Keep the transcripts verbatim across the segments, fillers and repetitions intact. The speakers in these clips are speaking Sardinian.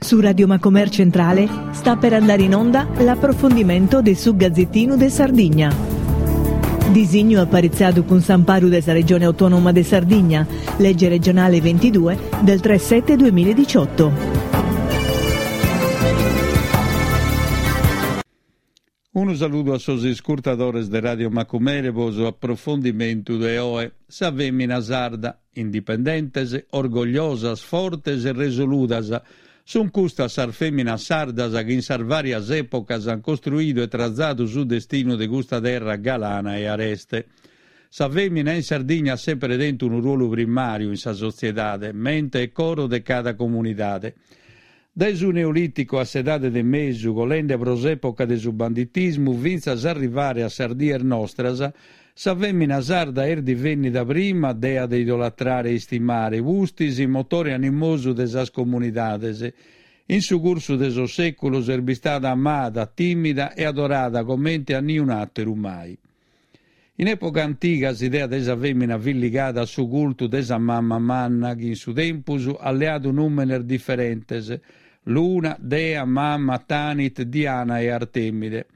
Su Radio Macomer Centrale sta per andare in onda l'approfondimento de su Gazzettinu de Sardigna. Disignu aparitzadu cun s'amparu de sa Regione Autonoma de Sardigna, legge regionale ventidue del tre sette duemiladiciotto. Unu saludu a sos iscurtadores de Radio Macumere po su aprofondimentu de oe. Sa fèmina sarda, indipendentes, orgogliosas, fortes e resoludas, sunt custas sas fèminas sardas chi in sas vàrias èpocas ant costruidu e trazadu su destinu de custa terra galana e areste. Sa fèmina in Sardigna at semper tentu unu ruolu primàriu in sa sotziedade, mente e coro de cada comunidade. Dae su Neolìticu a s'Edade de Mesu, colende pro s'època de su banditismu fintzas a arrivare a sas dies nostras, sa fèmina sarda est divènnida prima dea de idolatrare e istimare, pustis motore animosu de sas comunidades. In su cursu de sos sèculos est bistada amada, tìmida e adorada comente a niun'àteru mai. In època antiga s'idea de sa fèmina fit ligada a su cultu de sa mama manna chi in su tempus at leadu nùmenes diferentes, Luna, Dea, Mama, Tanit, Diana e Artemide.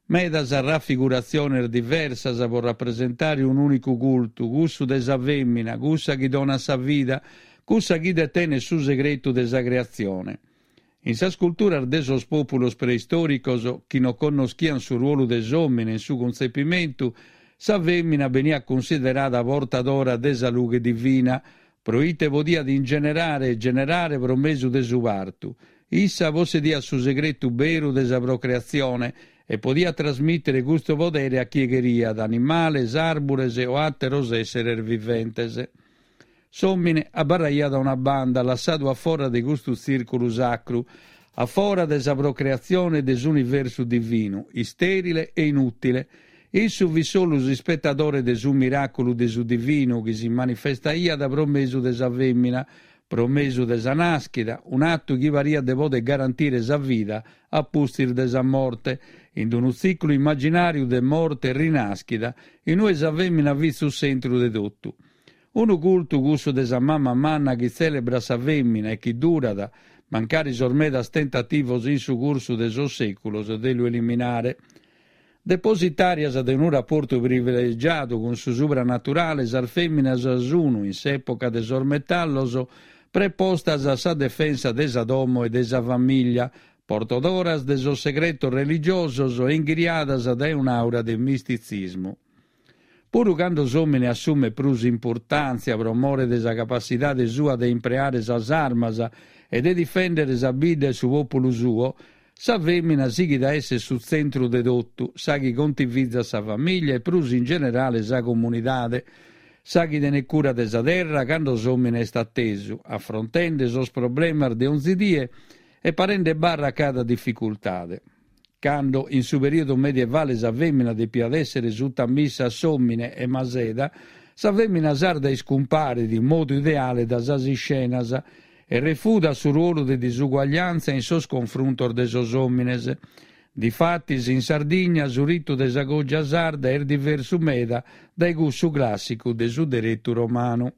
Medas rafiguratziones diversas pro rapresentare un'ùnicu cultu, cussu de sa fèmina, cussa chi donat sa vida, cussa chi detenet su segretu de sa creatzione. In sas culturas de sos pòpulos preistòricos, chi non connoschiant su ruolu de s'òmine in su cuntzepimentu, sa fèmina beniat cunsiderada portadora de sa lughe divina, proite podiat ingenerare e generare pro mesu de su partu. Issa possediat su segretu beru de sa procreatzione e podiat trasmìtere custu podere a chie cheriat, animales, àrbures o àteros èsseres viventes. S'òmine abarraiat a una banda, lassadu a fora de custu tzìrculu sacru, a fora de sa procreatzione de s'universu divinu, istèrile e inùtile. Issu fit solu s'ispetadore de su miràculu de su divinu chi si manifestaiat pro mesu de sa fèmina, pro mesu de sa nàschida, un'atu chi pariat de poder garantire sa vida a pustis de sa morte, in unu tziclu imaginàriu de morte e rinàschida, in ue sa fèmina fit su tzentru de totu. Unu cultu cussu de sa mama manna chi tzèlebrat sa fèmina e chi durat, mancari sos medas tentativos in su cursu de sos sèculos de lu eliminare. Depositàrias de unu raportu privilegiadu cun su supranaturale, sas fèminas sun, in s'època de sos metallos, prepostas a sa defensa de sa domo e de sa famìllia, portadoras de sos segretos religiosos e inghiriadas dae un'àura de mistitzismu. Puru cando s'òmine assumet prus importàntzia pro more de sa capassidade sua de impreare sas armas e de difèndere sa bidda e su pòpulu suo, sa fèmina sighit a èssere su tzentru de totu, sa chi contivizat sa famìllia e prus in generale sa comunidade, sa chi tenet cura de sa terra cando s'òmine est atesu, afrontende sos problemas de onzi die e parende barra a cada dificultade. Cando, in su perìodu medievale sa fèmina depiat èssere sutamissa a s'òmine e maseda, sa fèmina sarda iscumparit in modu ideale da sas iscenas e refudat su ruolu de disuguagliàntzia in sos confruntos de sos òmines. Difatis, in Sardigna su ritu de sa cògia sarda est diversu meda dae cussu clàssicu de su deretu romanu.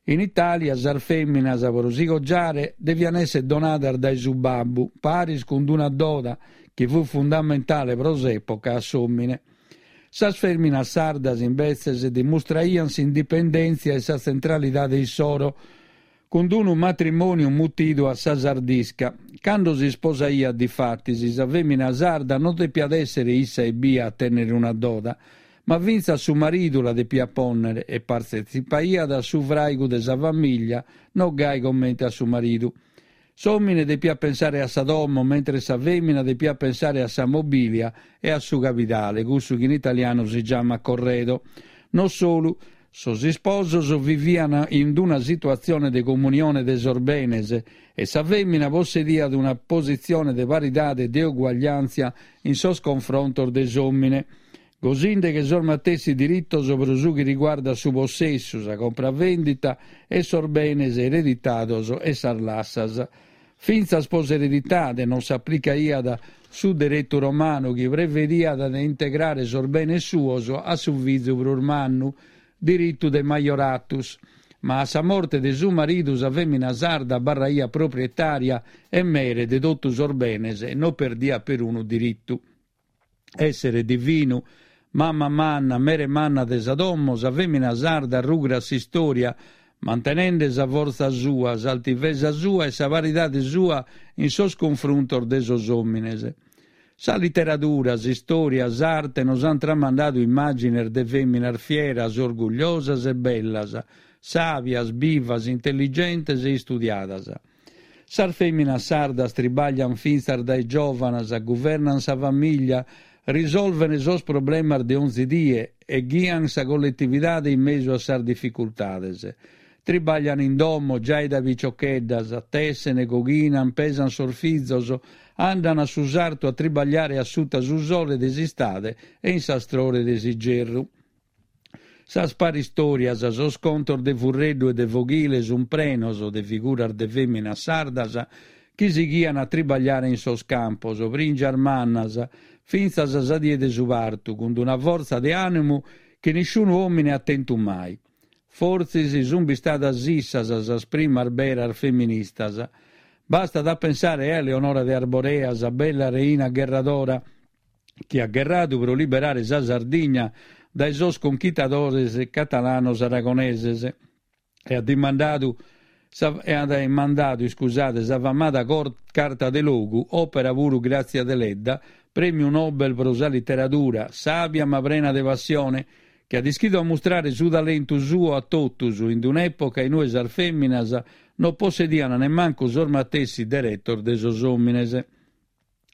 In Itàlia sas fèminas pro si cogiare devian èssere donadas dae su babbu, paris cun una doda chi fut fundamentale pro s'època a s'òmine. Sas fèminas sardas imbetzes dimustraian s'indipendèntzia e sa tzentralidade issoro cun unu matrimòniu mutidu a sa sardisca. Cando s'isposaiat difatis, sa fèmina sarda non depiat èssere issa ebbia a tènnere una doda, ma fintzas su maridu la depiat pònnere e partetzipaiat a su fràigu de sa famìllia, no gai comente a su maridu. S'òmine depiat pensare a sa domo, mentres sa fèmina depiat pensare a sa mobìlia e a su capitale, cussu chi in italianu si giamat corredo. Non solu, sos isposos vivian in una situatzione de comunione de sos benes e sa fèmina possediat una positzione de paridade e de uguagliàntzia in sos confrontos de s'òmine, gosinde che sos matessi diritos pro su chi riguardat su possessu, sa compravendita e sos benes ereditados e sas lassas. Fintzas pro s'ereditade non s'aplicaiat su deretu romanu chi prevediat de integrare sos benes suos a su fizu prus mannu, diritu de majoratus. Ma a sa morte de su maridu sa fèmina sarda abarraiat proprietària e mere de totu sos benes e no perdiat perunu diritu. Èssere divinu, mama manna, mere manna de sa domo, sa fèmina sarda rugrat s'istòria, mantenende sa fortza sua, s'altivesa sua e sa paridade sua in sos cunfruntos de sos òmines. Sa literadura, s'istòria, s'arte nos ant tramandadu immàgines de fèminas fieras, orgugliosas e bellas, sàbias, bivas, intelligentes e istudiadas. Sas fèminas sardas tribaglian fintzas dae giòvanas, guvernan sa famìllia, risolven sos problemas de onzi die e ghian sa colletividade in mesu a sas dificultades. Tribaglian in domo giai dae piciocheddas, tessen, coghinan, pesan sos fizos, andan a su sartu a tribagliare a suta su sole de s'istade e in s'astrore de s'igerru. Sas paristòrias, sos contos de furreddu e de foghile sun prenos de figuras de fèminas sardas chi sighian a tribagliare in sos campos, prìngias mannas, fintzas a sa die de su partu, cun una fortza de ànimu chi nisciunu òmine at tentu mai. Fortzis sun bistadas issas sas primas beras feministas. Bastat a pensare a Eleonora de Arborea, sa bella reina gherradora, chi at gherradu pro liberare sa Sardigna dae sos conchitadores catalanos aragoneses e at dimandadu sa, e at mandadu iscusade, sa famada Carta de Logu, òpera puru Gràtzia Deledda, prèmiu Nobel pro sa literadura, sàbia ma prena de passione, chi at ischidu ammustrare su talentu suo a totus in un'època in ue sas fèminas no possedian nemmancu sos matessi deretos de sos òmines.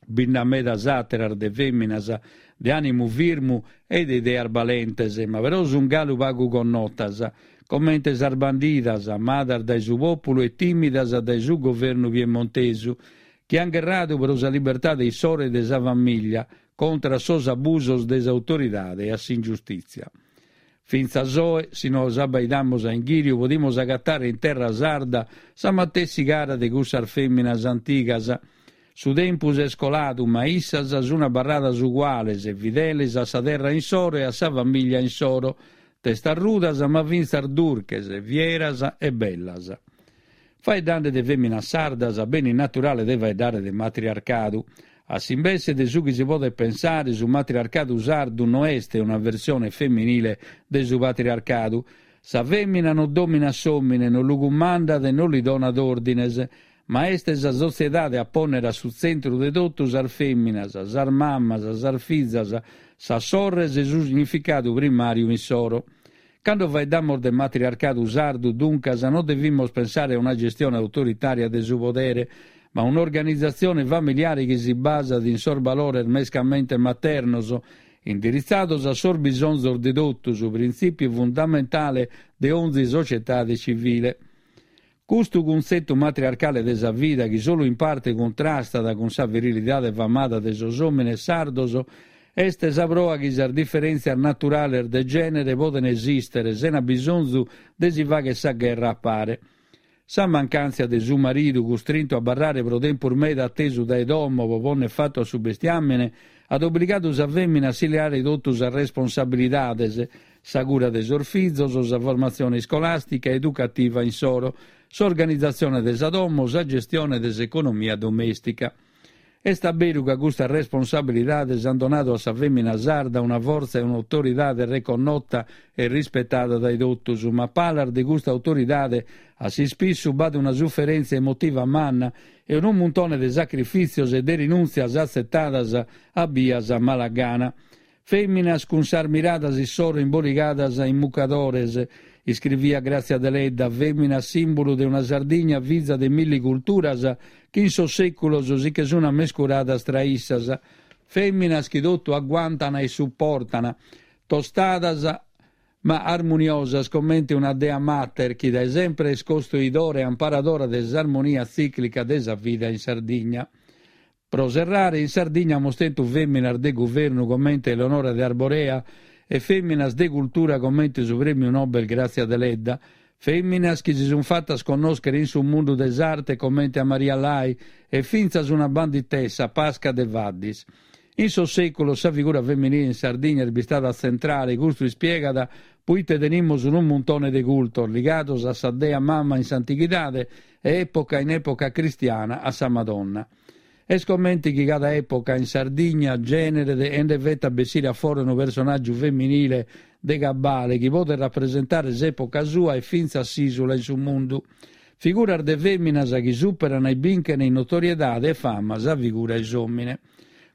Bi nd'at medas àteras de fèminas de ànimu firmu e de ideas balentes, ma però sun galu pagu connotas, comente sas bandidas, amadas dae su pòpulu e tìmidas dae su governu piemontesu, chi an gherradu pro sa libertade issoro e de sa famìllia, contra sos abusos de s'autoridade e a s'ingiustìtzia. Fintzas oe, si nos abbaidamus a inghìriu, podimus agatare in terra sarda sa matessi cara de cussas fèminas antigas. Su tempus est coladu, ma issas sun abarradas uguales, fideles a sa terra insoro e a sa famìllia insoro, testarrudas ma fintzas durches, fieras e bellas. Faeddande de fèminas sardas, benit naturale de faeddare de matriarcadu. A s'imbesse de su chi si podet pensare, su matriarcadu sardu no est una versione femminile de su patriarcadu. Sa fèmina non dominat s'òmine, non lu cumandat e non li donat òrdines, ma est sa sotziedade a pònnere a su tzentru de totu sas fèminas, sas mamas, sas fizas, sas sorres e su significadu primàriu insoro. Cando faeddamos de matriarcadu sardu, duncas, non devimus pensare a una gestione autoritària de su podere, ma un'organizatzione familiare chi si basat in sos valores mescamente maternos, indiritzados a sos bisonzos de totus, printzìpiu fundamentale de onzi societade civile. Custu cuntzetu matriarcale de sa vida, chi solu in parte cuntrastat cun sa virilidade famada de sos òmines sardos, est sa proa chi sas diferèntzias naturales de gènere poden esìstere sena bisonzu de si fagher sa gherra a pare. Sa mancàntzia de su maridu, custrintu a abarrare pro tempus meda atesu dae domo pro pònnere fatu a su bestiàmene, at obligadu sa fèmina a si leare totu sas responsabilidades, sa cura de sos fizos, sa formatzione iscolàstica e educativa insoro, s'organizatzione de sa domo, sa gestione de s'economia domèstica. Est a beru ca custas responsabilidades ant donadu a sa fèmina sarda una fortza e un'autoridade reconnota e rispetada dae totus, ma a palas de custa autoridade a s'ispissu b'at una suferèntzia emotiva manna e unu muntone de sacrifìtzios e de rinùntzias atzetadas a bias a mala gana. Fèminas cun sas miradas issoro imboligadas in mucadores, iscriviat Gràtzia Deledda, fèmina sìmbulu de una Sardigna fiza de milli culturas chi in sos sèculos si che sun ammescuradas tra issas, fèminas chi totu agguantan e suportan, tostadas ma armuniosas comente una dea mater chi dae sempre est costoidora e amparadora de s'armonia tzìclica de sa vida in Sardigna. Pro serrare, in Sardigna amus tentu fèminas de guvernu comente Eleonora de Arborea e fèminas de cultura comente su prèmiu Nobel Gràtzia Deledda, fèminas chi si sunt fatas connòschere in su mundu de s'arte comente a Maria Lai e fintzas una banditessa, Pasca de Faddis. In sos sèculos sa figura feminile in Sardigna est bistada tzentrale, custu ispiegat Puite tenimus unu muntone de cultos ligados a sa dea mama in s'antighidade e època in època cristiana a sa Madonna. Est comente chi cada època in Sardigna gèneret e nde fetat bessire a fora unu personàgiu feminile de cabale chi podet rapresentare s'època sua e fintzas s'ìsula in su mundu. Figuras de fèminas chi superan e binchen in notoriedade e fama sa figura 'e s'òmine.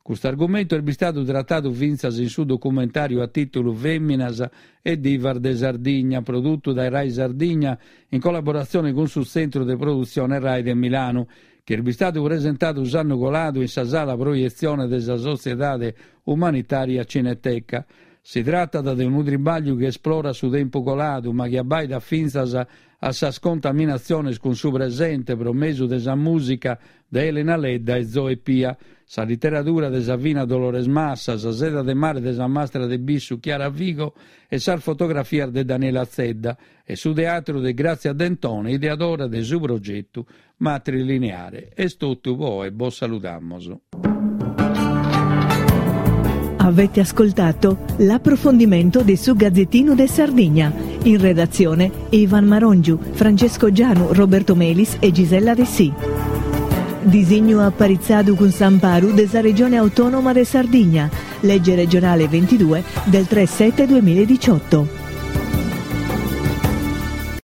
Custu argumentu est bistadu tratadu fintzas in su documentàriu a tìtulu Fèminas e divas de Sardigna, produtu dae Rai Sardigna in collaboratzione cun su Tzentru de Produtzione Rai de Milanu, chi est bistadu presentadu s'annu coladu in sa sala proietzione de sa Sotziedade Umanitària Cineteca. Si tratat de unu tribàgliu chi esplorat su tempu coladu, ma chi abbaidat fintzas a sas contaminatziones cun su presente pro mesu de sa mùsica de Elena Ledda e Zoe Pia, sa literadura de sa fina Dolores Massa, sa seda de mare de sa mastra de bissu Chiara Figo e sas fotografias de Daniela Zedda e su teatru de Grazia Dentone, ideadora de su progetu Matrilineare. Est totu po oe, bos saludamos. Avete ascoltato l'approfondimento de su Gazzettino de Sardigna. In redazione Ivan Marongiu, Francesco Gianu, Roberto Melis e Gisella Dessì. Disignu aparitzadu cun s'amparu de sa Regione Autonoma de Sardigna, legge regionale ventidue del tre sette duemiladiciotto.